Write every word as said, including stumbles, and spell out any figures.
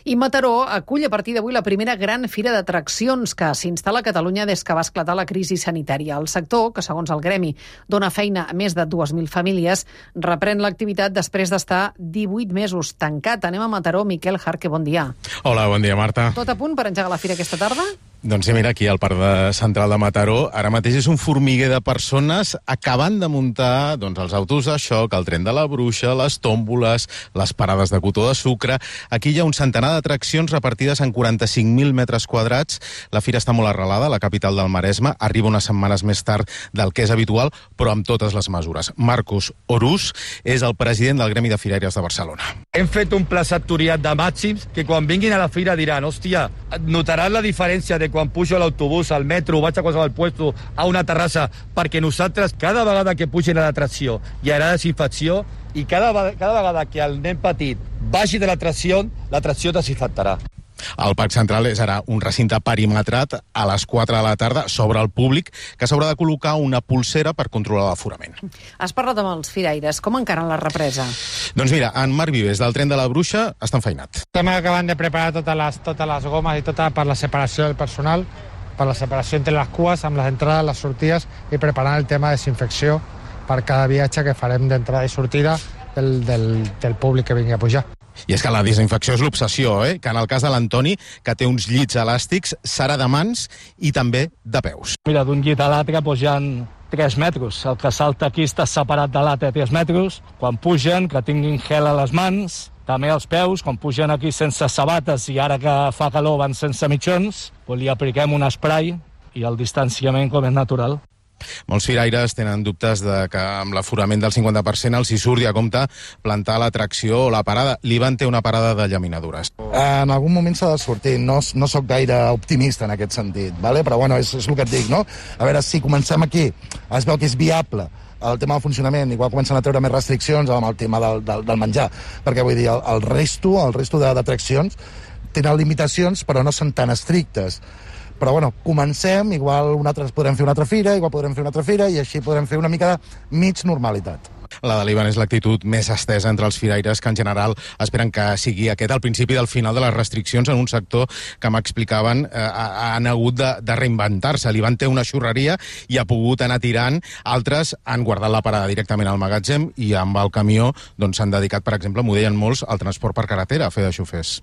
I Mataró acull a partir d'avui la primera gran fira d'atraccions que s'instal·la a Catalunya des que va esclatar la crisi sanitària. El sector, que segons el gremi dona feina a més de dues mil famílies, reprèn l'activitat després d'estar divuit mesos tancat. Anem a Mataró. Miquel Jarque, bon dia. Hola, bon dia, Marta. Tot a punt per engegar la fira aquesta tarda? Doncs sí, mira, aquí al Parc de Central de Mataró, ara mateix és un formiguer de persones acabant de muntar doncs, els autos de xoc, el tren de la bruixa, les tòmboles, les parades de cotó de sucre. Aquí hi ha un centenar d'atraccions repartides en quaranta-cinc mil metres quadrats. La fira està molt arrelada a la capital del Maresme, arriba unes setmanes més tard del que és habitual, però amb totes les mesures. Marcos Orús és el president del Gremi de Firaires de Barcelona. Hem fet un pla sectorial de màxims que quan vinguin a la fira diran, hòstia, notaran la diferència de quan pujo a l'autobús, al metro, vaig a qualsevol puesto, a una terrassa, perquè nosaltres, cada vegada que pugen a l'atracció, hi haurà desinfecció, i cada, cada vegada que el nen petit vagi de l'atracció, l'atracció desinfectarà. El Parc Central és ara un recinte perimetrat a les quatre de la tarda sobre el públic, que s'haurà de col·locar una pulsera per controlar l'aforament. Has parlat amb els firaires. Com encaren la represa? Doncs mira, en Marc Vives, del tren de la bruixa, està enfeinat. Estem acabant de preparar totes les, totes les gomes i tota per la separació del personal, per la separació entre les cues, amb les entrades, les sortides, i preparant el tema de desinfecció per cada viatge que farem d'entrada i sortida del, del, del públic que vingui a pujar. I és que la desinfecció és l'obsessió, eh? Que en el cas de l'Antoni, que té uns llits elàstics, serà de mans i també de peus. Mira, d'un llit a l'altre doncs, hi ha tres metres. El que salta aquí està separat de l'altre tres metres. Quan pugen, que tinguin gel a les mans, també als peus, quan pugen aquí sense sabates i ara que fa calor van sense mitjons, doncs li apliquem un spray i el distanciament com és natural. Molts firaires tenen dubtes de que amb l'aforament del cinquanta per cent els hi surti a compte plantar l'atracció o la parada. L'Ivan té una parada de llaminadures. En algun moment s'ha de sortir. No, no sóc gaire optimista en aquest sentit, ¿vale? Però bueno, és, és el que et dic, no? A veure, si comencem aquí, es veu que és viable el tema del funcionament, igual comencen a treure més restriccions amb el tema del, del, del menjar, perquè vull dir, el, el resto, el resto d'atraccions tenen limitacions, però no són tan estrictes. Però bueno, comencem, igual una altra, podrem fer una altra fira, igual podrem fer una altra fira, i així podrem fer una mica de mig normalitat. La de l'Ivan és l'actitud més estesa entre els firaires, que en general esperen que sigui aquest el principi del final de les restriccions en un sector que m'explicaven eh, han hagut de, de reinventar-se. L'Ivan té una xurreria i ha pogut anar tirant, altres han guardat la parada directament al magatzem i amb el camió doncs s'han dedicat, per exemple, m'ho deien molts, al transport per carretera, a fer de xofers.